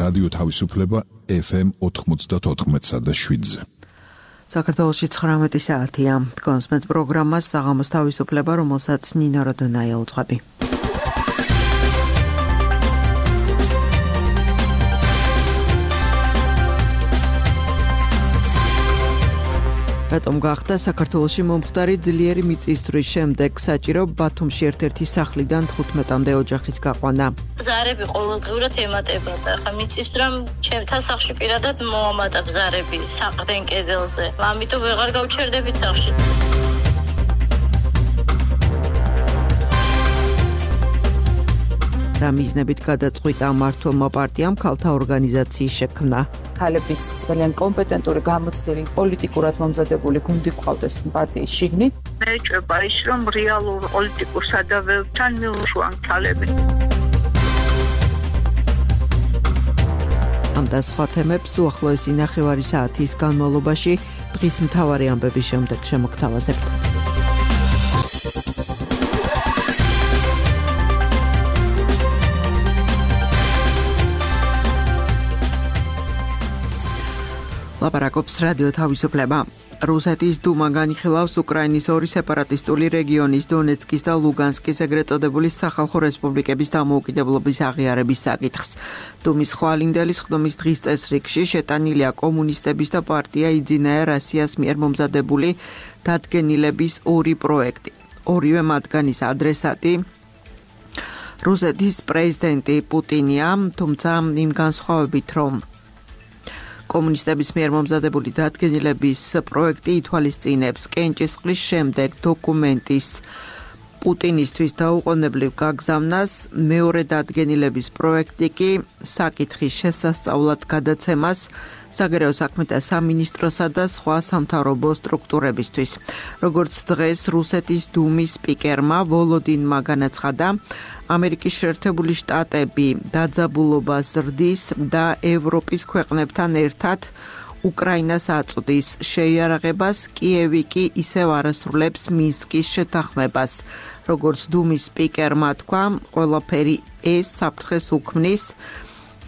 რადიო თავისუფლება FM 94.7-ზე. საქართველოში 19 საათია. კონსმეთ პროგრამას საღამოს თავისუფლება, რომელსაც ნინა როდონაია უძღვები. რატომ გახდა საქართველოში მომხდარი ძლიერი მიწისძვრის შემდეგ საჭირო ბათუმში ერთ-ერთი სახლიდან 15-მდე ოჯახის გაყვანა? ბზარები ყოველდღიურად ემატებოდა. ხა მიწისძვრამ ჩემთან სახლში პირადად მოამატა ბზარები საყრდენ კედელზე. ამიტომ ვეღარ გავჩერდებით სახლში. რა მიზნებით გადაწყვიტა მმართველმა პარტიამ ქალთა ორგანიზაციის შექმნა? ქალების ძალიან კომპეტენტური გამოცდილი პოლიტიკურად მომზადებული გუნდი ყავდეს პარტიის შიგნით. მე ჭრება ის რომ რეალურ პოლიტიკურ სადავეებთან მიუშვან ქალები. ამ და სხვა თემებს უახლოესი ნახევარი საათის განმავლობაში დღის მთავარი ამბების შემდეგ შემოგთავაზებთ. ლაპარაკობს რადიო თავისუფლება. რუსეთის დუმა განიხილავს უკრაინის ორი სეპარატისტული რეგიონის დონეცკის და ლუგანსკის ეგრეთ წოდებული სახალხო რესპუბლიკების დამოუკიდებლობის აღიარების საკითხს. დუმის ხვალინდელის ხდომის დღის წესრიგში შეტანილია კომუნისტების და პარტია იძინაია რასიას მიერ მომზადებული დადგენილების ორი პროექტი. ორივე მათგანის ადრესატი რუსეთის პრეზიდენტი პუტინია, თუმცა იმ განსხვავებით, რომ კომუნისტების მიერ მომზადებული დადგენილების პროექტი ითვალისწინებს კენჭისყრის შემდეგ დოკუმენტის პუტინისთვის დაუყოვნებლივ გაგზავნას, მეორე დადგენილების პროექტი კი საკითხის შესასწავლად გადაცემას საგარეო საქმეთა სამინისტროსა და სხვა სამთავრობო სტრუქტურებისთვის. როგორც დღეს რუსეთის დუმის სპიკერმა ვოლოდინმა განაცხადა, ამერიკის შეერთებული შტატები დაძაბულობას ზრდის და ევროპის ქვეყნებთან ერთად უკრაინას აწვდის შეიარაღებას, კიევი კი ისევ არასრულებს მინსკის შეთანხმებას. როგორც დუმის სპიკერმა თქვა, ყველაფერი ეს საფრთხეს უქმნის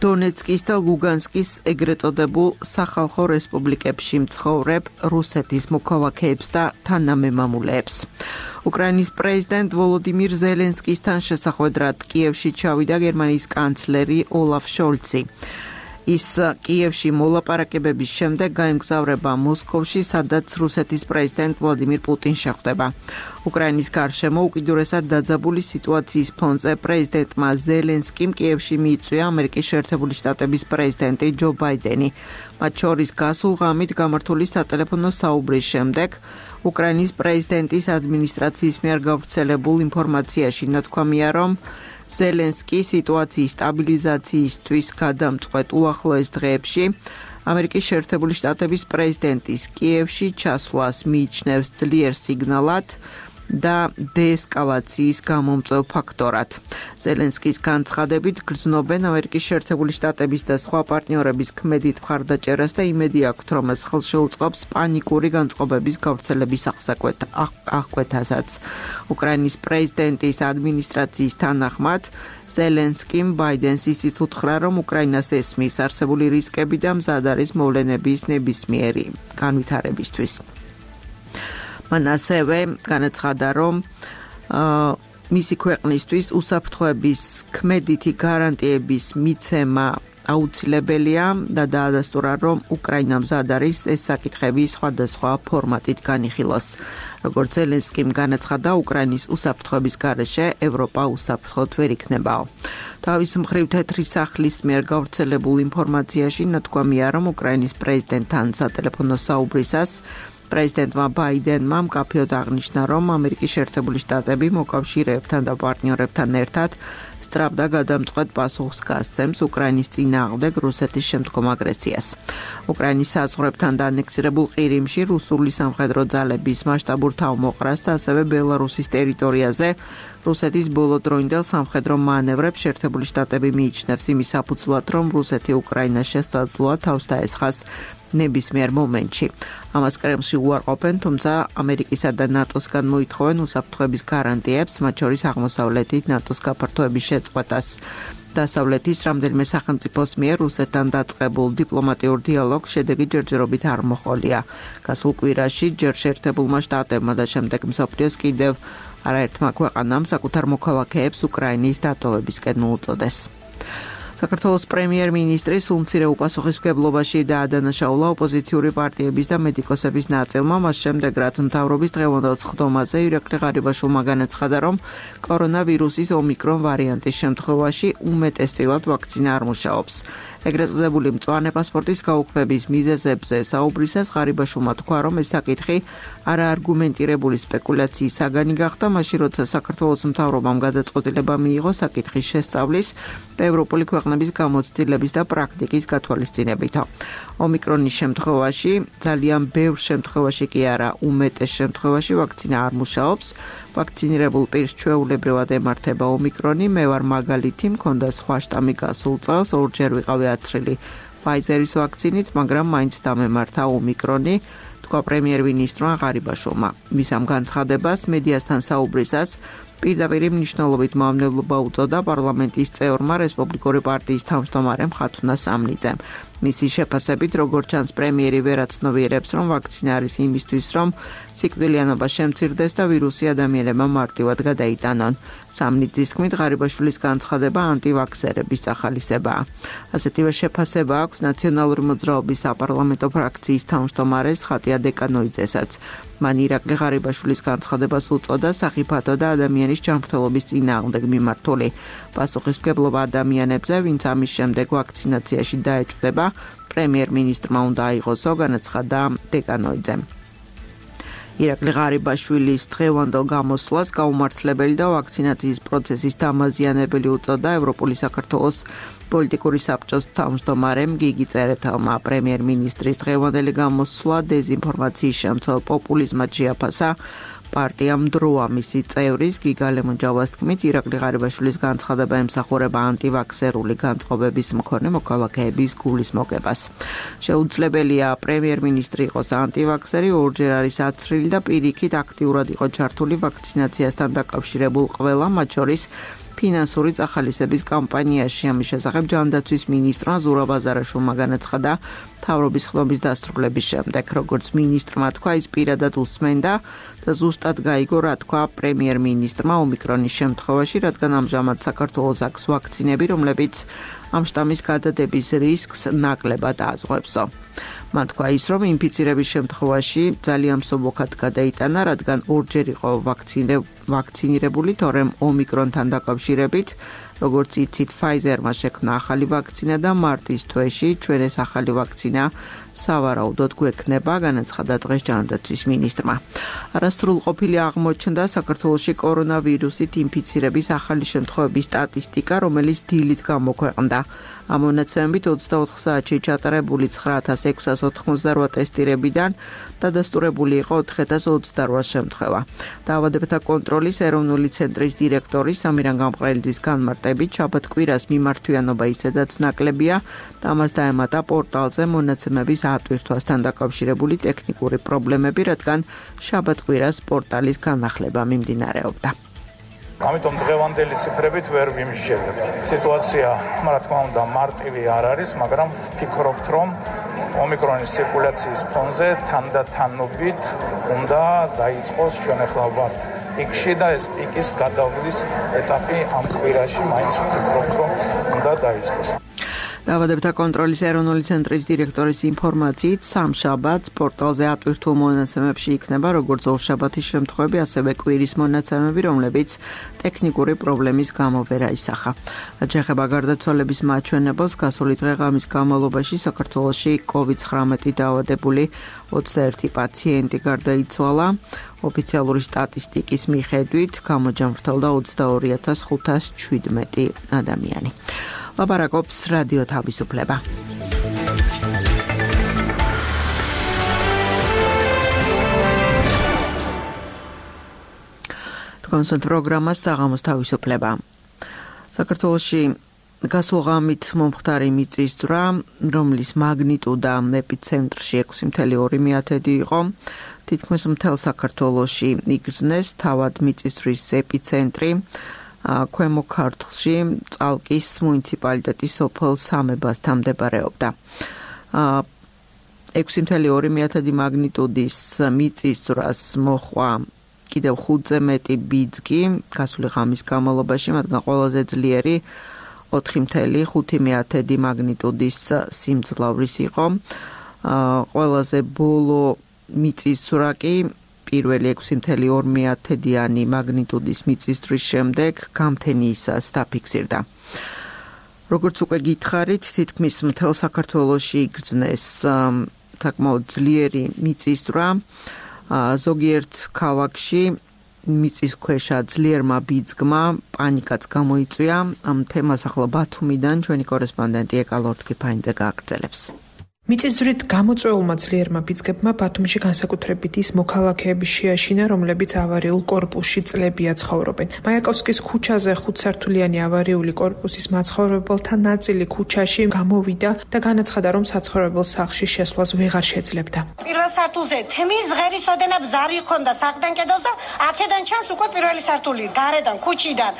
დონეცკის და ლუგანსკის ეგრეთ წოდებულ სახალხო რესპუბლიკებში მცხოვრებ რუსეთის მოქალაქეებს და თანამემამულეებს. უკრაინის პრეზიდენტ ვოლოდიმირ ზელენსკისთან შესახვედრად კიევში ჩავიდა გერმანიის კანცლერი ოლაფ შოლცი. ის კიევში მოლაპარაკებების შემდეგ გაემგზავრება მოსკოვში, სადაც რუსეთის პრეზიდენტ ვლადიმირ პუტინს შეხვდება. უკრაინის გარშემო უკიდურესად დაძაბული სიტუაციის ფონზე პრეზიდენტმა ზელენსკიმ კიევში მიიწვია ამერიკის შეერთებული შტატების პრეზიდენტი ჯო ბაიდენი. მათ შორის გასულ ღამით გამართული სატელეფონო საუბრის შემდეგ უკრაინის პრეზიდენტის ადმინისტრაციის მიერ გავრცელებულ ინფორმაციაში ნათქვამია, რომ ზელენსკი სიტუაციის სტაბილიზაციისთვის გადამწყვეტ უახლოეს დღეებში ამერიკის შეერთებული შტატების პრეზიდენტის კიევში ჩასვლას მიიჩნევს ძლიერ სიგნალად და დეესკალაციის გამომწვევ ფაქტორად. ზელენსკის განცხადებით გრძნობენ ამერიკის შეერთებული შტატების და სხვა პარტნიორების ქმედით მხარდაჭერას და იმედი აქვთ, რომ ეს ხელს შეუწყობს პანიკური განწყობების გავრცელების აღკვეთასაც. უკრაინის პრეზიდენტის ადმინისტრაციის თანახმად ზელენსკიმ ბაიდენს ისიც უთხრა, რომ უკრაინას ესმის არსებული რისკები და მზად არის მოვლენების ნებისმიერი განვითარებისთვის. მან ასევე განაცხადა, რომ მისი ქვეყნისთვის უსაფრთხოების ქმედითი გარანტიების მიცემა აუცილებელია და დაადასტურა, რომ უკრაინა მზად არის ეს საკითხები სხვადასხვა ფორმატით განიხილოს. როგორც ზელენსკიმ განაცხადა, უკრაინის უსაფრთხოების გარეშე ევროპა უსაფრთხოდ ვერ იქნებაო. თავის მხრივ თეთრი სახლის მიერ გავრცელებულ ინფორმაციაში ნათქვამია, რომ უკრაინის პრეზიდენტთან სატელეფონო საუბრისას პრეზიდენტმა ბაიდენმა მკაფიოდ აღნიშნა, რომ ამერიკის შეერთებული შტატები მოკავშირეებთან და პარტნიორებთან ერთად სწრაფ და გადამწყვეტ პასუხს გასცემს უკრაინის წინააღმდეგ რუსეთის შემდგომ აგრესიას. უკრაინის საზღვრებთან დანექსირებულ ყირიმში რუსული სამხედრო ძალების მასშტაბურ თავმოყრას და ასევე ბელარუსის ტერიტორიაზე რუსეთის ბოლოდროინდელ სამხედრო მანევრებს შეერთებული შტატები მიიჩნევს იმის საფუძვლად, რომ რუსეთი უკრაინას შესაძლოა თავს დაესხას ნებისმიერ მომენტში. ამას კრემლში უარყოფენ, თუმცა ამერიკისა და ნატოსგან მოითხოვენ უსაფრთხოების გარანტიებს, მათ შორის აღმოსავლეთით ნატოს გაფართოების შეწყვეტას. დასავლეთის რამდენიმე სახელმწიფოს მიერ რუსეთთან დაწყებულ დიპლომატიურ დიალოგს შედეგი ჯერჯერობით არ მოჰყოლია. გასულ კვირაში ჯერ შეერთებულმა შტატებმა და შემდეგ მსოფლიოს კიდევ არაერთმა ქვეყანამ საკუთარ მოქალაქეებს უკრაინის დატოვებისკენ მოუწოდეს. საქართველოს პრემიერ-მინისტრის უმცირე უპასუხისმგებლობაში დაადანაშაულა ოპოზიციური პარტიების და მედიკოსების ნაწილმა, მას შემდეგ რაც მთავრობის დღევანდელ სხდომაზე ირაკლი ღარიბაშვილმა განაცხადა, რომ კორონავირუსის ომიკრონ ვარიანტის შემთხვევაში უმეტესწილად ვაქცინა არ მუშაობს. ეგრეთ წოდებული მწვანე პასპორტის გაუქმების მიზეზებზე საუბრისას ღარიბაშვილმა თქვა, რომ ეს საკითხი არაარგუმენტირებული სპეკულაციის საგანი გახდა, მაშინ როცა საქართველოს მთავრობამ გადაწყვეტილება მიიღო საკითხის შესწავლის ევროპული ქვეყნების გამოცდილების და პრაქტიკის გათვალისწინებითო. ომიკრონის შემთხვევაში, ძალიან ბევრ შემთხვევაში კი არა, უმეტეს შემთხვევაში ვაქცინა არ მუშაობს. ვაქცინირებულ პირს ჩვეულებრივად ემართება ომიკრონი, მე ვარ მაგალითი, მქონდა სხვა შტამი გასულ წელს, ორჯერ ვიყავი აცრილი ფაიზერის ვაქცინით, მაგრამ მაინც დამემართა ომიკრონი, თქვა პრემიერ-მინისტრმა ღარიბაშვილმა. მის ამ განცხადებას მედიასთან საუბრისას პირდაპირ მნიშვნელობით მავნებლობა უწოდა პარლამენტის წევრმა რესპუბლიკური პარტიის თავმჯდომარემ ხათუნა სამნიძემ. მისი შეფასებით, როგორც ჩანს, პრემიერი ვერ აცნობიერებს, რომ ვაქცინა არის იმისთვის, რომ სიკვდილიანობა შემცირდეს და ვირუსი ადამიანებმა მარტივად გადაიტანონ. სამნიძის თქმით, ღარიბაშვილის განცხადება ანტივაქსერების წახალისებაა. ასეთივე შეფასება აქვს ნაციონალური მოძრაობის საპარლამენტო ფრაქციის თავმჯდომარეს ხატია დეკანოიძესაც. მან ირაკლი ღარიბაშვილის განცხადებას უწოდა სახიფათო და ადამიანის ჯანმრთელობის წინააღმდეგ მიმართული პასუხისმგებლობა ადამიანებზე, ვინც ამის შემდეგ ვაქცინაციაში დაეჭვდება, პრემიერ-მინისტრმა უნდა აიღოსო, განაცხადა დეკანოიძემ. ირაკლი ღარიბაშვილის დღევანდელ გამოსვლას გაუმართლებელი და ვაქცინაციის პროცესის დამაზიანებელი უწოდა ევროპული საქართველოს პოლიტიკური საბჭოს თავმჯდომარემ გიგი წერეთელმა. პრემიერ-მინისტრის დღევანდელი გამოსვლა დეზინფორმაციის შემცველ პოპულიზმად შეაფასა. პარტიამ დროა მისი წევრის გიგა ლემონჯავას თქმით, ირაკლი ღარიბაშვილის განცხადება ემსახურება ანტივაქსერული განწყობების მქონე მოქალაქეების გულის მოგებას. შეუძლებელია პრემიერ-მინისტრი იყოს ანტივაქსერი, ორჯერ არის აცრილი და პირიქით აქტიურად იყო ჩართული ვაქცინაციასთან დაკავშირებულ ყველა, მათ შორის ფინანსური წახალისების კამპანიაში. ამის შესახებ ჯანდაცვის მინისტრმა ზურაბ აზარაშვილმა განაცხადა მთავრობის ხდომის დასრულების შემდეგ. როგორც მინისტრმა თქვა, ის პირადად უსმენდა და ზუსტად გაიგო, რა თქვა პრემიერ-მინისტრმა ომიკრონის შემთხვევაში, რადგან ამჟამად საქართველოს აქვს ვაქცინები, რომლებიც ამ შტამის გადადების რისკს ნაკლებად ააზღვევსო. მან თქვა ის, რომ ინფიცირების შემთხვევაში ძალიან მსუბუქად გადაიტანა, რადგან ორჯერ იყო ვაქცინირებული, თორემ ომიკრონთან დაკავშირებით, როგორც იცით, ფაიზერმა შექმნა ახალი ვაქცინა და მარტის თვეში ჩვენ ეს ახალი ვაქცინა სავარაუდოდ გვექნება, განაცხადა დღეს ჯანდაცვის მინისტრმა. არასრულყოფილი აღმოჩნდა საქართველოში კორონავირუსით ინფიცირების ახალი შემთხვევების სტატისტიკა, რომელიც დილით გამოქვეყნდა. ამ მონაცემებით 24 საათში ჩატარებული 9688 ტესტირებიდან დადასტურებული იყო 4028 შემთხვევა. დაავადებათა კონტროლის ეროვნული ცენტრის დირექტორი სამირან გამყრელიძის განმარტებით, შაბათ-კვირას მიმართვიანობა ისედაც ნაკლებია და ამას დაემატა პორტალზე მონაცემების ატვირთვასთან დაკავშირებული ტექნიკური პრობლემები, რადგან შაბათ-კვირას პორტალის განახლება მიმდინარეობდა. ამიტომ დღევანდელი ციფრებით ვერ ვიმსჯელებთ. სიტუაცია, რა თქმა უნდა, მარტივი არ არის, მაგრამ ფიქრობთ, რომ ომიკრონის ცირკულაციის ფონზე თანდათანობით უნდა დაიწყოს, ჩვენ ახლა ვართ პიკში და ეს პიკის გადავლის ეტაპი ამ კვირაში მაინც ვფიქრობთ, რომ უნდა დაიწყოს. დაავადებათა კონტროლის ეროვნული ცენტრის დირექტორის ინფორმაციით, სამშაბათს პორტალზე ატვირთულ მონაცემებში იქნება როგორც ორშაბათის შემთხვევები, ასევე კვირის მონაცემები, რომლებიც ტექნიკური პრობლემის გამო ვერ აისახა. რაც შეეხება გარდაცვალების მაჩვენებელს, გასული დღე-ღამის განმავლობაში საქართველოში COVID-19 დაავადებული 21 პაციენტი გარდაიცვალა. ოფიციალური სტატისტიკის მიხედვით, გამოჯამრთელდა 22517 ადამიანი. ლაპარაკობს რადიო თავისუფლება. კონსულტ პროგრამა საღამოს თავისუფლება. საქართველოში გასულ ღამით მომხდარი მიწისძვრა, რომლის მაგნიტუდა ეპიცენტრში 6.2 იყო. თითქმის მთელ საქართველოში იგრძნეს, თავად მიწისძვრის ეპიცენტრი ქვემო ქართლში წალკის მუნიციპალიტეტის სოფელ სამებასთან მდებარეობდა. 6.2 მაგნიტუდის მიწისძვრას მოჰყვა კიდევ 5-ზე მეტი ბიძგი გასული ღამის განმავლობაში, მათგან ყველაზე ძლიერი 4.5 მაგნიტუდის სიმძლავრის იყო. ყველაზე ბოლო მიწისძვრა კი პირველი 6.2 მაგნიტუდის მიწისძვრის შემდეგ გამთენიისას დაფიქსირდა. როგორც უკვე გითხარით, თითქმის მთელ საქართველოში იგრძნეს საკმაოდ ძლიერი მიწისძვრა. ზოგიერთ ქალაქში მიწისქვეშა ძლიერმა ბიძგმა პანიკაც გამოიწვია. ამ თემას ახლა ბათუმიდან ჩვენი კორესპონდენტი ეკა ლორთქიფაინძე გააგრძელებს. მიწისძვრით გამოწვეულმა ძლიერმა ბიძგებმა ბათუმში განსაკუთრებით ის მოქალაქეების შეაშინა, რომლებიც ავარიულ კორპუსში წლებია ცხოვრობენ. მაიაკოვსკის ქუჩაზე 5-სართულიანი ავარიული კორპუსის მაცხოვრებელთა ნაწილი ქუჩაში გამოვიდა და განაცხადა, რომ საცხოვრებელ სახლში შესვლას ვეღარ შეძლებდა. პირველ სართულზე თემის ღერის ოდენა ბზარი ჰქონდა საყდან კედელზე, აქედან ჩანს უკვე პირველი სართული, გარედან, ქუჩიდან.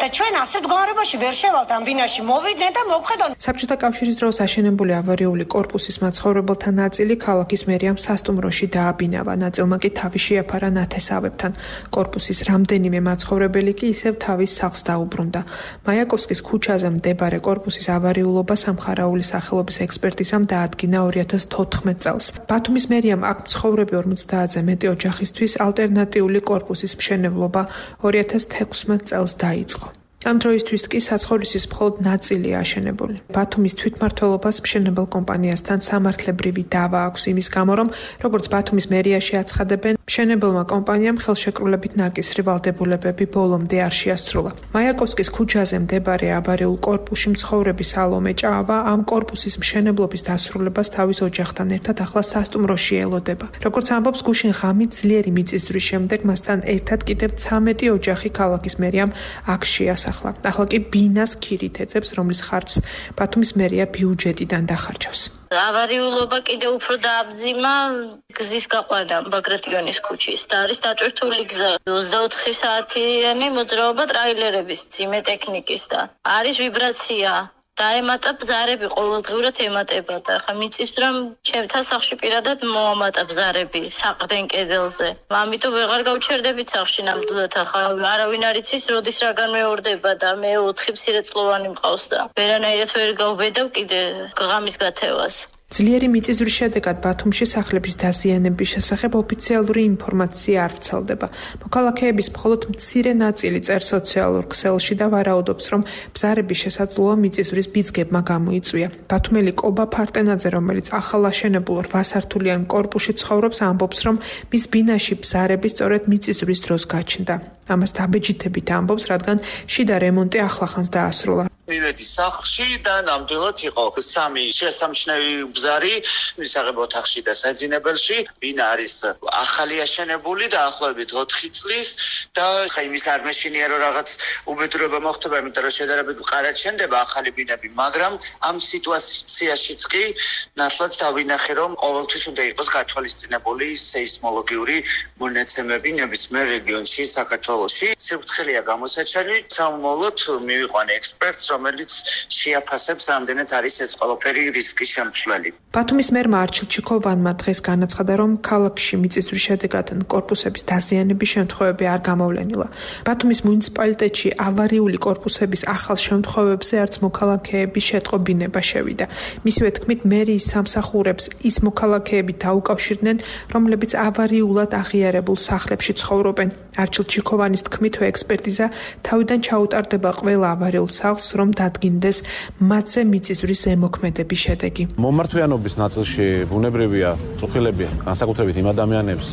და ჩვენ ასეთ მდგომარეობაში ვერ შევალთ ამ ბინაში, მოვიდნენ და მოვხედავთ. საბჭოთა კავშირის დროს აშენებული ავარიული კორპუსის მაცხოვრებელთა ნაწილი ქალაქის მერიამ სასტუმროში დააბინავა, ნაწილმა კი თავი შეაფარა ნათესავებთან. კორპუსის რამდენიმე მაცხოვრებელი კი ისევ თავის სახლს დაუბრუნდა. მაიაკოვსკის ქუჩაზე მდებარე კორპუსის ავარიულობა სამხარაული სახელობის ექსპერტიზამ დაადგინა 2014 წელს. ბათუმის მერიამ აქ მცხოვრები 50-ზე მეტი ოჯახისთვის ალტერნატიული კორპუსის მშენებლობა 2016 წელს დაიწყო. ამ დროისთვის კი საცხოვრისის მხოლოდ ნაწილია აშენებული. ბათუმის თვითმმართველობას მშენებელ კომპანიასთან სამართლებრივი დავა აქვს იმის გამო, რომ როგორც ბათუმის მერიაში აცხადებენ, მშენებელმა კომპანიამ ხელშეკრულებით ნაკისრი ვალდებულებები ბოლომდე არ შეასრულა. მაიაკოვსკის ქუჩაზე მდებარე ავარიულ კორპუსში მცხოვრები სალომე ჭავა ამ კორპუსის მშენებლობის დასრულებას თავის ოჯახთან ერთად ახლა სასტუმროში ელოდება. როგორც ამბობს გუშინ ღამით ძლიერი მიწისძვრის შემდეგ მასთან ერთად კიდევ 13 ოჯახი ქალაქის მერიამ აქ შეასახლა. ახლა კი ბინას ქირით ეწევს, რომლის ხარჯს ბათუმის მერია ბიუჯეტიდან დახარჯავს. ავარიულობა კიდევ უფრო დააბძიმა გზის გაყვანა ბაგრატიონის ქუჩის და არის დატვირთული გზა 24 საათიანი მოძრაობა ტრაილერების, ძიმე ტექნიკის და არის ვიბრაცია. დაემატა ბზარები, ყოველდღიურად ემატება და ხა მიწისძვრამ ჩემთან სახლში პირადად მოამატა ბზარები საყრდენ კედელზე. ამიტომ ვეღარ გავჩერდებით სახლში ნამდვილად, ხა არავინ არ იცის როდის რა განმეორდება და მე 4 მცირეწლოვანი მყავს და ვერანაირად ვერ გავბედავ კიდე ღამის გათევას. ძლიერი მიწისძვრის შედეგად ბათუმში სახლების დაზიანების შესახებ ოფიციალური ინფორმაცია არ ვრცელდება. მოქალაქეების მხოლოდ მცირე ნაწილი წერს სოციალურ ქსელში და ვარაუდობს, რომ ბზარების შესაძლოა მიწისძვრის ბიძგებმა გამოიწვია. ბათუმელი კობა ფარტენაძე, რომელიც ახალ აშენებულ 8-სართულიან კორპუსში ცხოვრობს, ამბობს, რომ მის ბინაში ბზარები სწორედ მიწისძვრის დროს გაჩნდა. ამას დაბეჯითებით ამბობს, რადგან შიდა რემონტი ახლახანს დაასრულა. მივედი სახლში და ნამდვილად იყო 3 შესამჩნევი ბზარი მისაღებ ოთახში და საძინებელში. ბინა არის ახალი აშენებული და ახლობით 4 წლის და ხა იმის არ მეშინია რომ რაღაც უბედურება მოხდება, იმიტომ რომ შედარებით მყარად შენდება ახალი ბინები, მაგრამ ამ სიტუაციაშიც კი ნათლად დავინახე, რომ ყოველთვის უნდა იყოს გათვალისწინებული სეისმოლოგიური მონაცემები ნებისმიერ რეგიონში საქართველოში. სიფრთხილეა გამოსაჩენი, სამომავლოდ მივიყვანე ექსპერტს, რომელიც შეაფასებს რამდენად არის ეს ყველაფერი რისკის შემცვლელი. ბათუმის მერმა არჩილ ჩიქოვანმა დღეს განაცხადა, რომ ქალაქში მიწისძვრის შედეგად კორპუსების დაზიანების შემთხვევები არ გამოვლენილა. ბათუმის მუნიციპალიტეტში ავარიული კორპუსების ახალ შემთხვევებზე არც მოქალაქეების შეტყობინება შევიდა. მისივე თქმით, მერიის სამსახურებს ის მოქალაქეები დაუკავშირდნენ, რომლებიც ავარიულად აღიარებულ სახლებში ცხოვრობენ. არჩილ ჩიქოვანის თქმით, ექსპერტიზა თავიდან ჩაუტარდება ყველა ავარიულ სახლს, რომ დადგინდეს მათზე მიწისძვრის ზემოქმედების შედეგი. მომართვიანობის ნაწილში ბუნებრივია წუხილები განსაკუთრებით იმ ადამიანებს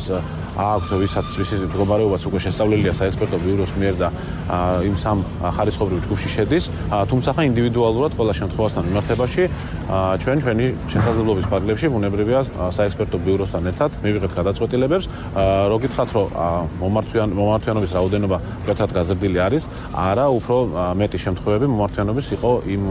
აქვთ, ვისის მდგომარეობაც უკვე შესწავლილია საექსპერტო ბიუროს მიერ და იმ სამ ხარისხობრივ ჯგუფში შედის, თუმცა ინდივიდუალურად ყველა შემთხვევასთან მიმართებაში ჩვენი შესაძლებლობის ფარგლებში ბუნებრივია საექსპერტო ბიუროსთან ერთად მივიღებთ გადაწყვეტილებებს. რო გითხრათ, რომ მომართვიანობის რაოდენობა კეთრად გაზრდილი არის, არა, უფრო მეტი შემთხვევები მომართვიანობის საქმიანობის იყო იმ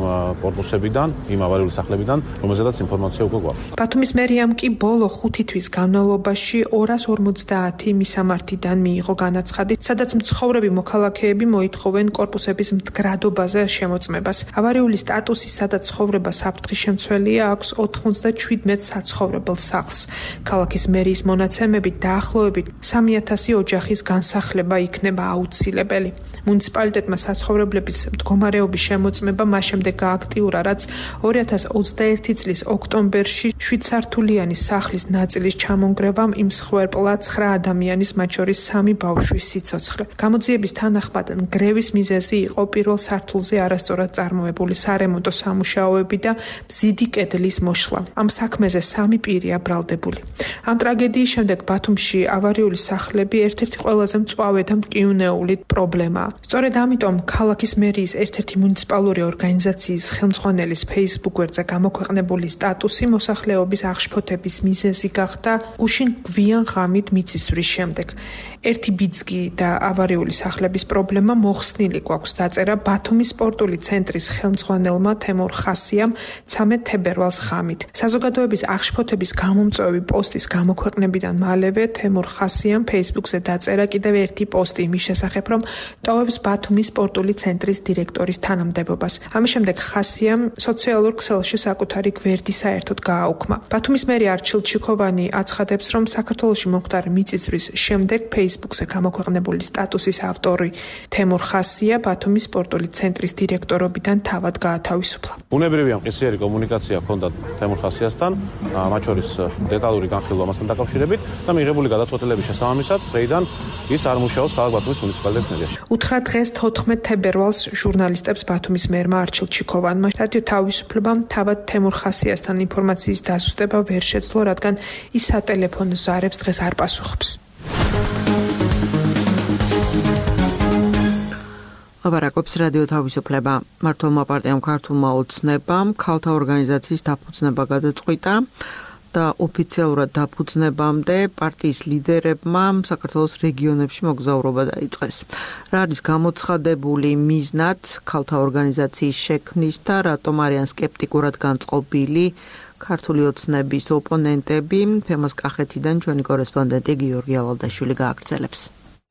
კორპუსებიდან, იმ ავარიული სახლებიდან, რომელზედაც ინფორმაცია უკვე გვაქვს. ბათუმის მერიამ კი ბოლო 5 თვის განმავლობაში 250 მისამართიდან მიიღო განაცხადი, სადაც მცხოვრები მოქალაქეები მოითხოვენ კორპუსების მდგრადობაზე შემოწმებას. ავარიული სტატუსისა და ცხოვრება საფრთხის შემცველია აქვს 97 საცხოვრებელ სახლს. ქალაქის მერიის მონაცემებით დაახლოებით 3000 ოჯახის განსახლება იქნება აუცილებელი. მუნიციპალიტეტმა საცხოვრებლების მდგომარეობის შემოწმება მას შემდეგ გააქტიურა, რაც 2021 წლის ოქტომბერში 7 სართულიანი სახლის ნაწილის ჩამონგრევამ იმსხვერპლა 9 ადამიანის, მათ შორის 3 ბავშვის სიცოცხლე. გამოძიების თანახმად ნგრევის მიზეზი იყო პირველ სართულზე არასწორად წარმოებული სარემონტო სამუშაოები და მზიდი კედლის მოშლა. ამ საქმეზე 3 პირია ბრალდებული. ამ ტრაგედიის შემდეგ ბათუმში ავარიული სახლები ერთ-ერთი ყველაზე მწვავე და მტკივნეული პრობლემაა. სწორედ ამიტომ ქალაქის მერიის ერთ-ერთი მუნიციპალური ორგანიზაციის ხელმძღვანელის Facebook გვერდზე გამოქვეყნებული სტატუსი მოსახლეობის აღშფოთების მიზეზი გახდა გუშინ გვიან ღამით მიწისძვრის შემდეგ. ერთი ბიძგი და ავარიული სახლების პრობლემა მოხსნილი გვაქვს დაწერა ბათუმის სპორტული ცენტრის ხელმძღვანელმა თემურ ხასიამ 13 თებერვალს ღამით. საზოგადოების აღშფოთების გამომწვევი პოსტის გამოქვეყნებიდან მალევე თემურ ხასიამ Facebook-ზე დაწერა კიდევ ერთი პოსტი იმის შესახებ, რომ ტოვებს ბათუმის სპორტული ცენტრის დირექტორის თანამდებობას. ამის შემდეგ ხასიამ სოციალურ ქსელში საკუთარი გვერდი საერთოდ გააუქმა. ბათუმის მერი არჩილ ჩიქოვანი აცხადებს, რომ საქართველოში მომხდარი მიწისძვრის შემდეგ Facebook-ზე გამოქვეყნებული სტატუსის ავტორი თემურ ხასია ბათუმის სპორტული ცენტრის დირექტორობიდან თავად გაათავისუფლა. ბუნებრივია მყისიერი კომუნიკაცია ჰქონდა თემურ ხასიასთან, მათ შორის დეტალური განხილვა მასთან დაკავშირებით და მიღებული გადაწყვეტილების შესაბამისად, დღეიდან ის არ მუშაობს ქალაქ ბათუმის მუნიციპალიტეტის მერიაში. უთხრა დღეს 14 თებერვალს ჟურნალისტებს ბათუმის მერმა არჩილ ჩიქოვანმა რადიო თავისუფლებამ თავად თემურ ხასიასთან ინფორმაციის დაზუსტება ვერ შეძლო, რადგან ის სატელეფონო ზარებს დღეს არ პასუხობს. ლაპარაკობს რადიო თავისუფლება. მართლმა პარტიამ ქართულმა ოცნებამ ქალთა ორგანიზაციის დაფუძნება გადაწყვიტა და ოფიციალურად დაფუძნებამდე პარტიის ლიდერებმა საქართველოს რეგიონებში მოგზაურობა დაიწყეს. რა არის გამოცხადებული მიზნად ქალთა ორგანიზაციის შექმნის და რატომ არიან სკეპტიკურად განწყობილი ქართული ოცნების ოპონენტები? თემას კახეთიდან ჩვენი კორესპონდენტი გიორგი ალალდაშვილი გააგრძელებს.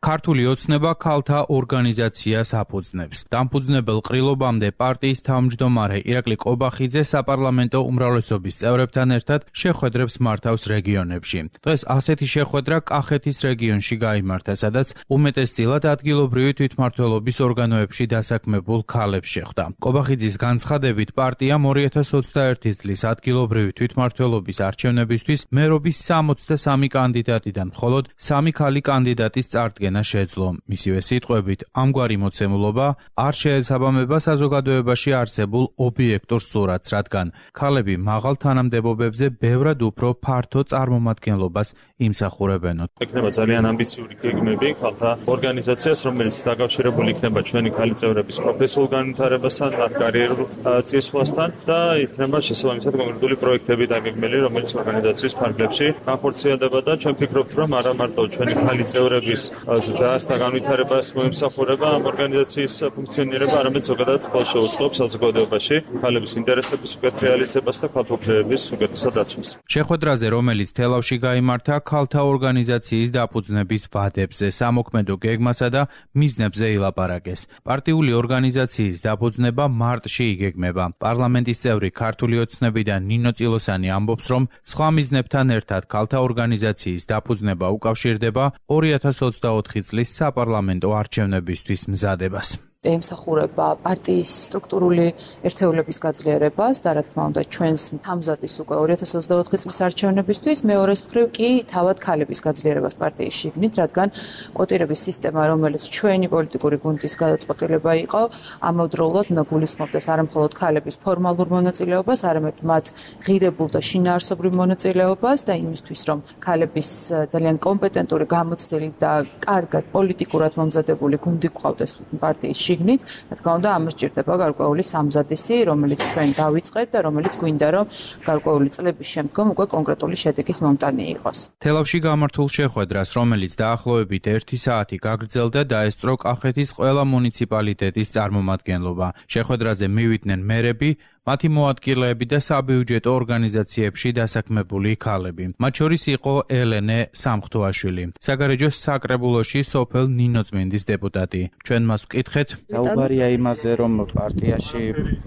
ქართული ოცნება ქალთა ორგანიზაციას აფუძნებს. დამფუძნებელ ყრილობამდე პარტიის თავმჯდომარე ირაკლი ყობახიძე საპარლამენტო უმრავლესობის წევრებთან ერთად შეხვედრებს მართავს რეგიონებში. დღეს ასეთი შეხვედრა კახეთის რეგიონში გაიმართა, სადაც უმეტესწილად ადგილობრივი თვითმმართველობის ორგანოებში დასაქმებულ ქალებს შეხვდა. ყობახიძის განცხადებით პარტიამ 2021 წლის ადგილობრივი თვითმმართველობის არჩევნებისთვის მერობის 63 კანდიდატიდან მხოლოდ 3 ქალი კანდიდატის წარდგენა შეძლო. მისივე სიტყვებით, ამგვარი მოცემულობა არ შეესაბამება საზოგადოებაში არსებულ ობიექტურ სურათს, რადგან ქალები მაღალ თანამდებობებზე ბევრად უფრო ფართო წარმომადგენლობას იმსახურებენო. იქნება ძალიან ამბიციური გეგმები ქალთა ორგანიზაციას, რომელიც დაკავშირებული იქნება ჩვენი ქალი წევრების პროფესიულ განვითარებასთან, მათ კარიერულ წინსვლასთან და იქნება შესაბამისად კონკრეტული პროექტები დაგეგმილი, რომელიც ორგანიზაციის ფარგლებში განხორციელდება და ჩვენ ვფიქრობთ, რომ არა მარტო ჩვენი ქალი წევრების და განვითარებას მოიმსახურება ამ ორგანიზაციის ფუნქციონირება, არამედ ზოგადად ხვალ შეუწყობს საზოგადოებაში ქალების ინტერესების უკეთ რეალიზებას და ქალთოფლების უკეთესად დაცვას. შეხვედრაზე, რომელიც თელავში გაიმართა, ქალთა ორგანიზაციის დაფუძნების ვადებზე, სამოქმედო გეგმასა და მიზნებზე ილაპარაკეს. პარტიული ორგანიზაციის დაფუძნება მარტში იგეგმება. პარლამენტის წევრი ქართული ოცნებიდან ნინო წილოსანი ამბობს, რომ სხვა მიზნებთან ერთად ქალთა ორგანიზაციის დაფუძნება უკავშირდება 2024 წლის საპარლამენტო არჩევნებისთვის მზადებას. ემსახურება პარტიის სტრუქტურული ერთეულების გაძლიერებას და რა თქმა უნდა ჩვენს თამზადის უკვე 2024 წლის არჩევნებისთვის, მეორეს მხრივ კი თავად ქალების გაძლიერებას პარტიის შიგნით, რადგან კვოტირების სისტემა, რომელიც ჩვენი პოლიტიკური გუნდის გადაწყვეტილება იყო, ამავდროულად უნდა გულისხმობდეს არა მხოლოდ ქალების ფორმალურ მონაწილეობას, არამედ მათ ღირებულ და შინაარსობრივ მონაწილეობას და იმისთვის, რომ ქალების ძალიან კომპეტენტური, გამოცდილი და კარგად პოლიტიკურად მომზადებული გუნდი გყავდეს პარტიის შიგნით, რა თქმა უნდა, ამას ჭირდება გარკვეული სამზადისი, რომელიც ჩვენ დავიწყეთ და რომელიც გვინდა რომ გარკვეული წლების შემდგომ უკვე კონკრეტული შედეგის მომტანი იყოს. თელავში გამართულ შეხვედრას, რომელიც დაახლოებით 1 საათი გაგრძელდა, დაესწრო კახეთის ყველა მუნიციპალიტეტის წარმომადგენლობა. შეხვედრაზე მივიდნენ მერები, მათი მოადგილეები და საბიუჯეტო ორგანიზაციებში დასაქმებული ქალები. მათ შორის იყო ელენე სამხთოაშვილი, საგარეჯოს საკრებულოში სოფელ ნინოწმინდის დეპუტატი. ჩვენ მას ვკითხეთ. საუბარია იმაზე, რომ პარტიაში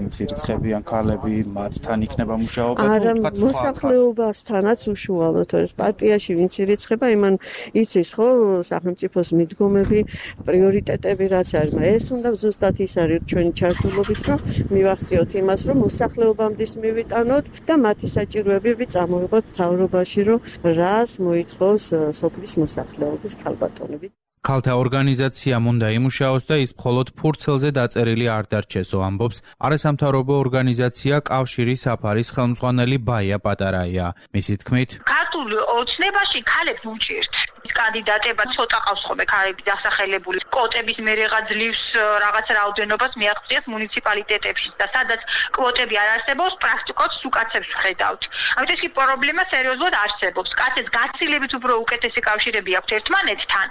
მცირეცხებიან ქალები მათთან იქნება მუშაობა არა, მოსახლეობასთანაც უშუალოდ, ეს პარტიაში ვინც ირიცხება, იმან იცის ხო სახელმწიფოს მიდგომები, პრიორიტეტები რაც არის, ეს უნდა ზუსტად ის არის ჩვენი ჩართულობით, რომ მივახციოთ იმას, რომ მოსახლეობამდე მივიტანოთ და მათი საჭიროებები წამოიღოთ მთავრობაში, რომ რას მოითხოვს სოფლის მოსახლეობის ქალბატონები. ქალთა ორგანიზაციამ უნდა იმუშაოს და ის მხოლოდ ფურცელზე დაწერილი არ დარჩესო, ამბობს არასამთავრობო ორგანიზაცია კავშირი საფარის ხელმძღვანელი ბაია პატარაია. მისი თქმით, ქართულ ოცნებაში ქალებს უჭირთ. კანდიდატება ცოტა ყავს ხოლმე ქალები დასახელებული. კვოტების მერეღა ძლივს რაღაც რაოდენობას მიაღწიეს მუნიციპალიტეტებში და სადაც კვოტები არ არსებობს, პრაქტიკულად უკაცებს ვხედავთ. ამიტომ ეს პრობლემა სერიოზულად არსებობს. კაცებს გაცილებით უფრო უკეთესი კავშირები აქვთ ერთმანეთთან,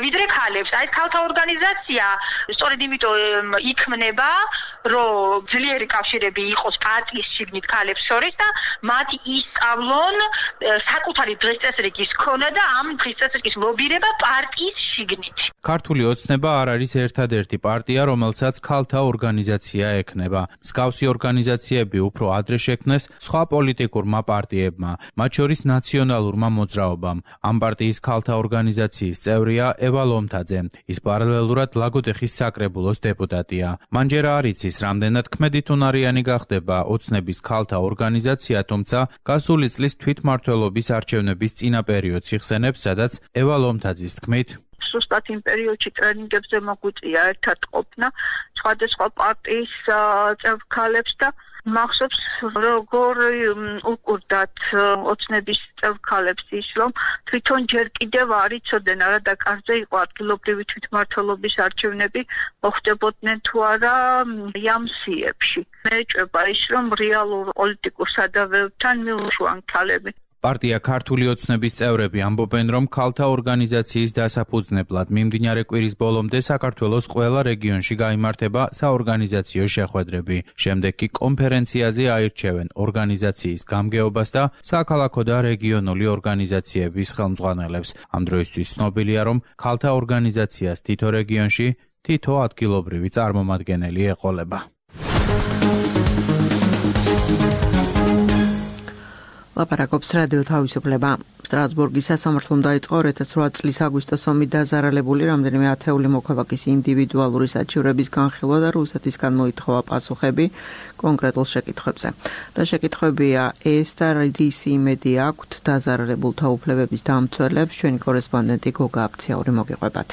ვიდრე ქალებს. აი ქალთა ორგანიზაცია სწორედ იმიტომ იქმნება, რომ ძლიერი კავშირები იყოს პარტიის შიგნით ქალებს შორის და მათ ისწავლონ საკუთარი დღესწესრიგის ქონა და ამ დღესწესრიგის ლობირება პარტიის შიგნით. ქართული ოცნება არ არის ერთადერთი პარტია, რომელსაც ქალთა ორგანიზაცია ექნება. მსგავსი ორგანიზაციები უფრო ადრე შექმნეს სხვა პოლიტიკურმა პარტიებმა, მათ შორის ნაციონალურმა მოძრაობამ. ამ პარტიის ქალთა ორგანიზაციის წევრია ევა ლომთაძე. ის პარალელურად ლაგოდეხის საკრებულოს დეპუტატია. მან ჯერ არ იცის, რამდენად ქმედითუნარიანი გახდება ოცნების ქალთა ორგანიზაცია, თუმცა გასული წლის თვითმმართველობის არჩევნების წინა პერიოდს იხსენებს, სადაც ევა ლომთაძის თქმით, სუსტად იმ პერიოდში ტრენინგებზე მოგვიწია ერთად ყოფნა სხვადასხვა პარტიის წევრ ქალებს და მახსოვს როგორ უკურდათ ოცნების წევრ ქალებს ის რომ თვითონ ჯერ კიდევ არ იცოდნენ არა და კარზე იყო ადგილობრივი თვითმმართველობის არჩევნები მოხდებოდნენ თუ არა იამსიებში. მე ეჭვება ის რომ რეალურ პოლიტიკურ სადავეებთან მიუშვან ქალები. პარტია ქართული ოცნების წევრები ამბობენ, რომ ქალთა ორგანიზაციის დასაფუძნებლად მიმდინარე კვირის ბოლომდე საქართველოს ყველა რეგიონში გაიმართება საორგანიზაციო შეხვედრები. შემდეგ კი კონფერენციაზე აირჩევენ ორგანიზაციის გამგეობას და საქალაქო და რეგიონული ორგანიზაციების ხელმძღვანელებს. ამ დროისთვის ცნობილია, რომ ქალთა ორგანიზაციას თითო რეგიონში თითო ადგილობრივი წარმომადგენელი ეყოლება. ლაპარაკობს რადიო თავისუფლება. სტრასბურგის სასამართლომ დაიწყო 2008 წლის აგვისტოს ომით დაზარალებული რამდენიმე ათეული მოქალაქის ინდივიდუალური საჩივრების განხილვა და რუსეთისგან მოითხოვა პასუხები კონკრეტულ შეკითხვებზე. რა შეკითხვებია ეს და რისი იმედი აქვთ დაზარალებულთა უფლებების დამცველებს, ჩვენი კორესპონდენტი გოგა აფციაური მოგიყვებათ.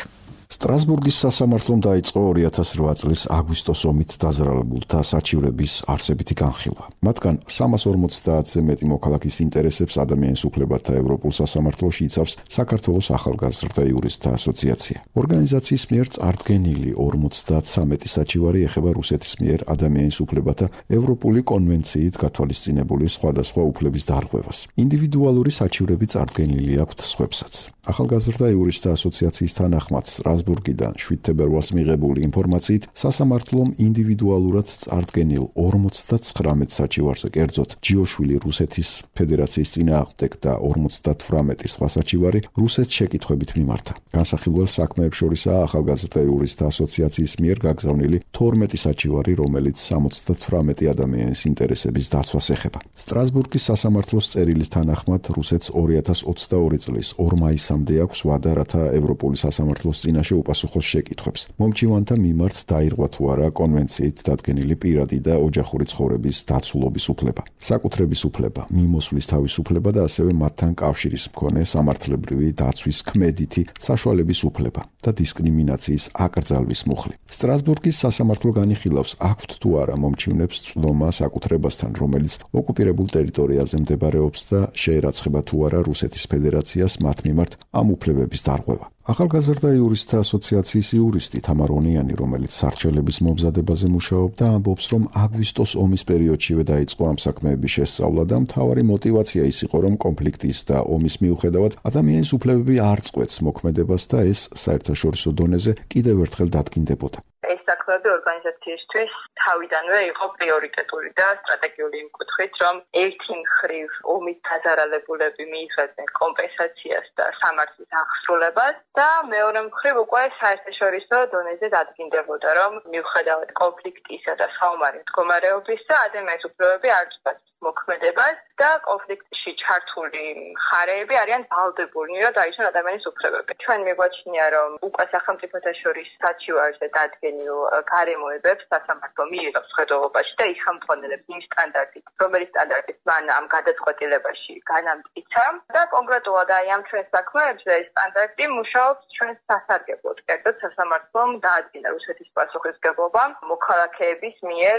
სტრასბურგის სასამართლომ დაიწყო 2008 წლის აგვისტოს ომით დაზარალებულთა საჩივრების არსებითი განხილვა. მათგან 350-ზე მეტი მოქალაქის ინტერესებს ადამიანის უფლებათა ევროპულ სასამართლოში იცავს საქართველოს ახალგაზრდა იურისტთა ასოციაცია. ორგანიზაციის მიერ წარდგენილი 53 საჩივარი ეხება რუსეთის მიერ ადამიანის უფლებათა ევროპული კონვენციით გათვალისწინებული სხვადასხვა უფლების დარღვევას. ინდივიდუალური საჩივრები წარდგენილი აქვთ სხვებსაც. ახალგაზრდა იურისტთა ასოციაციის თანახმად სტრასბურგიდან 7 თებერვალს მიღებული ინფორმაციით სასამართლომ ინდივიდუალურად წარდგენილ 59 საჩივარზე კერძოდ ჯიოშვილი რუსეთის ფედერაციის წინააღმდეგ და 58 სხვა საჩივარი რუსეთს შეკითხვებით მიმართა. განსახილველ საქმეებს შორისაა ახალგაზრდა იურისტთა ასოციაციის მიერ გაგზავნილი 12 საჩივარი, რომელიც 78 ადამიანის ინტერესების დაცვას ეხება. სტრასბურგის სასამართლოს წერილის თანახმად რუსეთს 2022 წლის 2 მაისამდე აქვს ვადა, რათა ევროპული სასამართლოს წინაშე უპასუხოს შეკითხვებს. მომჩივანთა მიმართ დაირღვა თუ არა კონვენციით დადგენილი პირადი და ოჯახური ცხოვრების დაცულობის უფლება, საკუთრების უფლება, მიმოსვლის თავისუფლება და ასევე მათთან კავშირის მქონე სამართლებრივი დაცვის ქმედითი საშუალების უფლება და დისკრიმინაციის აკრძალვის მუხლი. სტრასბურგის სასამართლო განიხილავს, აქვთ თუ არა მომჩივნებს წვდომა საკუთრებასთან, რომელიც ოკუპირებულ ტერიტორიაზე მდებარეობს და შეერაცხება თუ არა რუსეთის ფედერაციას მათ მიმართ ამ უფლებების დარღვევა. ახალგაზრდა იურისტთა ასოციაციის იურისტი თამარ ონიანი, რომელიც სარჩელების მომზადებაზე მუშაობდა, ამბობს, რომ აგვისტოს ომის პერიოდშივე დაიწყო ამ საქმეების შესწავლა და მთავარი мотиваცია ის იყო, რომ კონფლიქტის და ომის მიუხედავად ადამიანის უფლებები არ წყვეტს მოქმედებას და ეს საერთაშორისო დონეზე კიდევ ერთხელ დადგინდებოდა. ეს საქმეები ორგანიზაციისთვის თავიდანვე იყო პრიორიტეტული და სტრატეგიული იმ კუთხით, რომ ერთი მხრივ ომით დაზარალებულები მიიღებდნენ კომპენსაციას და სამართლის აღსრულებას და მეორე მხრივ უკვე საერთაშორისო დონეზე დადგინდებოდა, რომ მიუხედავად კონფლიქტისა და საომარი მდგომარეობისა, ადამიანის უფლებები არ წყვეტს მოქმედებას და კონფლიქტში ჩართული მხარეები არიან ვალდებულნი, რომ დაიცვან ადამიანის უფლებები. ჩვენ მიგვაჩნია, რომ უკვე სახელმწიფოთა შორის საჩივარზე დადგენილ გარემოებებს სასამართლო მიიღებს ხედველობაში და იხამფონელებს იმ სტანდარტით, რომელიც სტანდარტით მან ამ გადაწყვეტილებაში განამტკიცა და კონკრეტულად აი ამ ჩვენ საქმეებზე ეს სტანდარტი მუშაობს ჩვენს სასარგებლოდ. კერძოდ სასამართლომ დაადგინა რუსეთის პასუხისმგებლობა მოქალაქეების მიერ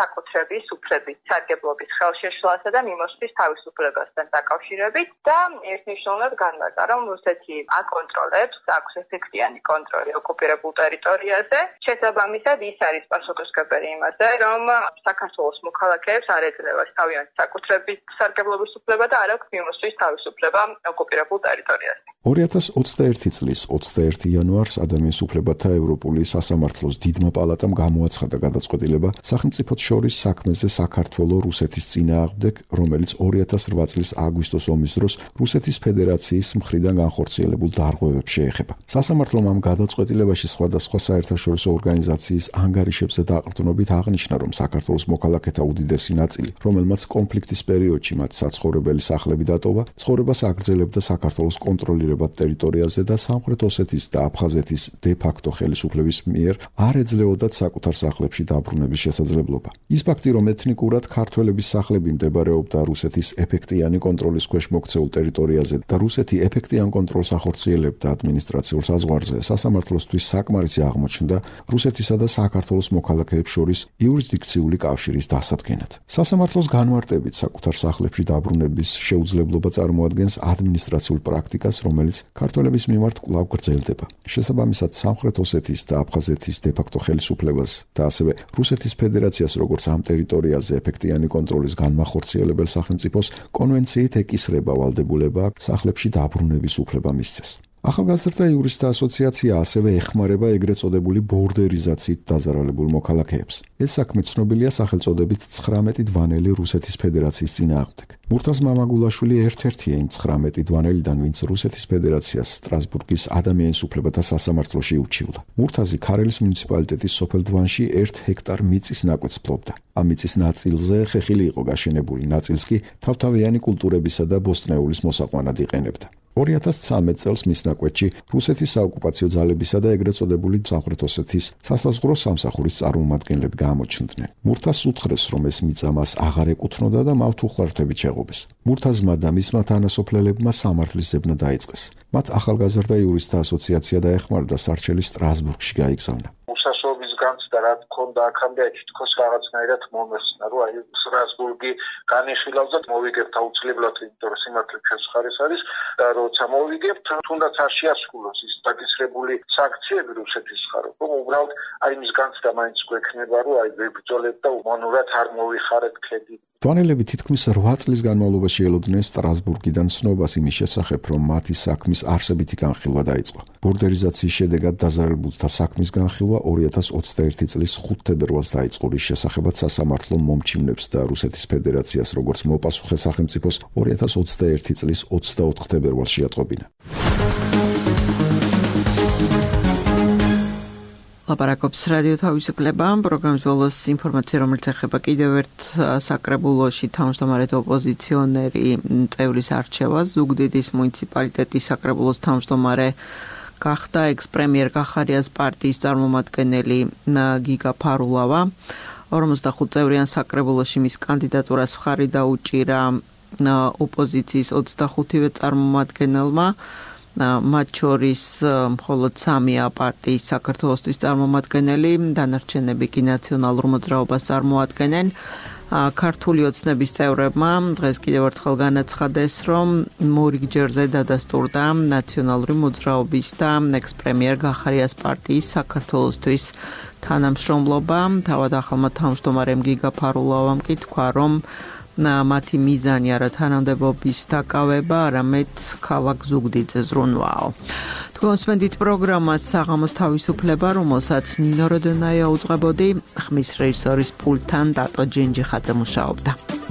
საკუთრების უფლების სარგებლობის ხელშეშლასა და მიმოსვლის თავისუფლებასთან დაკავშირებით და ერთნიშნულად განმარტა, რომ რუსეთი აკონტროლებს, აქვს ეფექტიანი კონტროლი ოკუპირებულ ტერიტორიაზე. შესაბამისად, ის არის პასუხისმგებელი იმაზე, რომ საქართველოს მოქალაქეებს არ ეძლევა თავიანთი საკუთრების სარგებლობის უფლება და არ აქვს მიმოსვლის თავისუფლება ოკუპირებულ ტერიტორიაზე. 2021 წლის 21 იანვარს ადამიანის უფლებათა ევროპული სასამართლოს დიდმა პალატამ გამოაცხადა გადაწყვეტილება სახელმწიფოთა შორის საქმეზე საქართველო-რუსეთის წინააღმდეგ, რომელიც 2008 წლის აგვისტოს ომის დროს რუსეთის ფედერაციის მხრიდან განხორციელებულ დარღვევებს შეეხება. სასამართლომ ამ გადაწყვეტილებაში სხვადასხვა საერთაშორისო ორგანიზაციის ანგარიშებზე დაყრდნობით აღნიშნა, რომ საქართველოს მოქალაქეთა უდიდესი ნაწილი, რომელმაც კონფლიქტის პერიოდში მათ საცხოვრებელი სახლები დატოვა, ცხოვრებას აგრძელებდა საქართველოს კონტროლირებად ტერიტორიაზე და სამხრეთ ოსეთის და აფხაზეთის დე-ფაქტო ხელისუფლების მიერ არ ეძლეოდათ საკუთარ სახლებში დაბრუნების შესაძლებლობა. ის ფაქტი, რომ ეთნიკურად ქართველების სახლები მდებარეობდა რუსეთის ეფექტიანი კონტროლის ქვეშ მოქცეულ ტერიტორიაზე და რუსეთი ეფექტიან კონტროლს ახორციელებდა ადმინისტრაციულ საზღვარზე, სასამართლოსთვის საკმარისი აღმოჩნდა რუსეთისა და საქართველოს მოქალაქეებს შორის იურისდიქციული კავშირის დასადგენად. სასამართლოს განმარტებით საკუთარ სახლებში დაბრუნების შეუძლებლობა წარმოადგენს ადმინისტრაციულ პრაქტიკას, რომელიც ქართველების მიმართ კვლავ გრძელდება. შესაბამისად, სამხრეთ ოსეთის და აფხაზეთის დე-ფაქტო ხელისუფლებას და ასევე რუსეთის ფედერაციას, როგორც ამ ტერიტორიაზე ეფექტიანი კონტროლის განმახორციელებელ სახელმწიფოს, კონვენციით ეკისრება ვალდებულება სახლებში დაბრუნების უფლება მისცეს. ახალგაზრდა იურისტთა ასოციაცია ასევე ეხმარება ეგრეთ წოდებული ბორდერიზაციით დაზარალებულ მოქალაქეებს. ეს საქმე ცნობილია სახელწოდებით 19 დვანელი რუსეთის ფედერაციის წინააღმდეგ. მურთაზ მამაგულაშვილი ერთ-ერთია იმ 19 დვანელიდან, ვინც რუსეთის ფედერაციას სტრასბურგის ადამიანის უფლებათა სასამართლოში ურჩივდა. მურთაზი ქარელის მუნიციპალიტეტის სოფელ დვანში 1 ჰექტარ მიწის ნაკვეთს ფლობდა. ამ მიწის ნაწილზე ხეხილი იყო გაშენებული, ნაწილს კი თავთავიანი კულტურებისა და ბოსტნეულის მოსაყვანად იყენებდა. 2013 წელს მის ნაკვეთში რუსეთის საოკუპაციო ძალებისა და ეგრეთ წოდებული სამხრეთ ოსეთის სასაზღვრო სამსახურის წარმომადგენლები გამოჩნდნენ. მურთაზს უთხრეს, რომ ეს მიწა მას აღარ ეკუთვნოდა და მათ უხლართებით შეღობეს. მურთაზმა და მისმა თანასოფლელებმა სამართლის ზებნა დაიწყეს. მათ ახალგაზრდა იურისტთა ასოციაცია დაეხმარა და სარჩელი სტრასბურგში გაიგზავნა. უსასრულობის განცდა რა თქონდა აქამდე თითქოს რაღაცნაირად მომესწნა, რომ აი სტრასბურგი განიხილავს და მოვიგებთ აუცილებლად, იმიტომ რომ სიმართლე ჩვენს მხარეს არის და როცა მოვიგებთ, თუნდაც არ შეასრულოს ის დაკისრებული სანქციები რუსეთის მხარეს, რომ უბრალოდ აი მის განცდა მაინც გვექნება, რომ აი ვებრძოლეთ და უმანურად არ მოვიხარეთ ქედი. დვანელები თითქმის 8 წლის განმავლობაში ელოდნენ სტრასბურგიდან ცნობას იმის შესახებ, რომ მათი საქმის არსებითი განხილვა დაიწყო. ბორდერიზაციის შედეგად დაზარალებულთა საქმის განხილვა 2021 წლის 5 თებერვალს დაიწყო, რის შესახებაც სასამართლომ მომჩივნებს და რუსეთის ფედერაციას როგორც მოპასუხე სახელმწიფოს 2021 წლის 24 თებერვალს შეატყობინა. ლაპარაკობს რადიო თავისუფლება, პროგრამის ბოლოს ინფორმაცია, რომელიც ეხება კიდევ ერთ საკრებულოში თავმჯდომარედ ოპოზიციონერი წევრის არჩევას. ზუგდიდის მუნიციპალიტეტის საკრებულოს თავმჯდომარე გახდა ექს-პრემიერ კახარიას პარტიის წარმომადგენელი გიგა ფარულავა. 45 წევრიან საკრებულოში მის კანდიდატურას მხარი დაუჭირა ოპოზიციის 25-ვე წარმომადგენელმა. მათ შორის მხოლოდ 3-ია პარტიის საქართველოსთვის წარმომადგენელი, დანარჩენები კი ნაციონალურ მოძრაობას წარმოადგენენ. ქართული ოცნების წევრებმა დღეს კიდევ ერთხელ განაცხადეს, რომ მორიგჯერზე დადასტურდა ნაციონალური მოძრაობის და ექს-პრემიერ გახარიას პარტიის საქართველოსთვის თანამშრომლობა. თავად ახალმა თავმჯდომარემ გიგა ფარულოვამ კი თქვა, რომ მათი მიზანი არა თანამდებობის დაკავება, არამედ ქალაქ ზუგდიდზე ზრუნვაო. კონსპენდით პროგრამას საღამოს თავისუფლება, რომელსაც ნინო როდონაია უძღვებოდი, ხმის რეჟისორის პულტთან დატო ჯენჯიხაძე მუშაობდა.